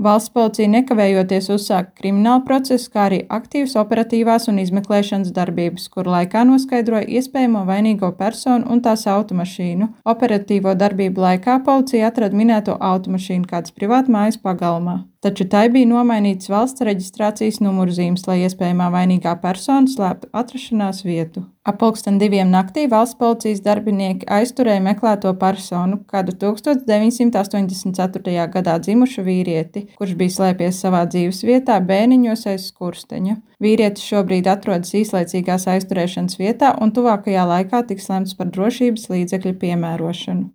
Valsts policija nekavējoties uzsāka kriminālu procesu, kā arī aktīvas operatīvās un izmeklēšanas darbības, kuru laikā noskaidroja iespējamo vainīgo personu un tās automašīnu. Operatīvo darbību laikā policija atrada minēto automašīnu kādas privātmājas pagalmā. Taču tai bija nomainīts valsts reģistrācijas numurzīmes, lai iespējamā vainīgā persona slēptu atrašanās vietu. Ap 2:00 naktī valsts policijas darbinieki aizturēja meklēto personu, kādu 1984. gadā dzimušu vīrieti, kurš bija slēpies savā dzīves vietā Bēniņos aiz Skursteņa. Vīrietis šobrīd atrodas īslaicīgās aizturēšanas vietā un tuvākajā laikā tiks lemts par drošības līdzekļu piemērošanu.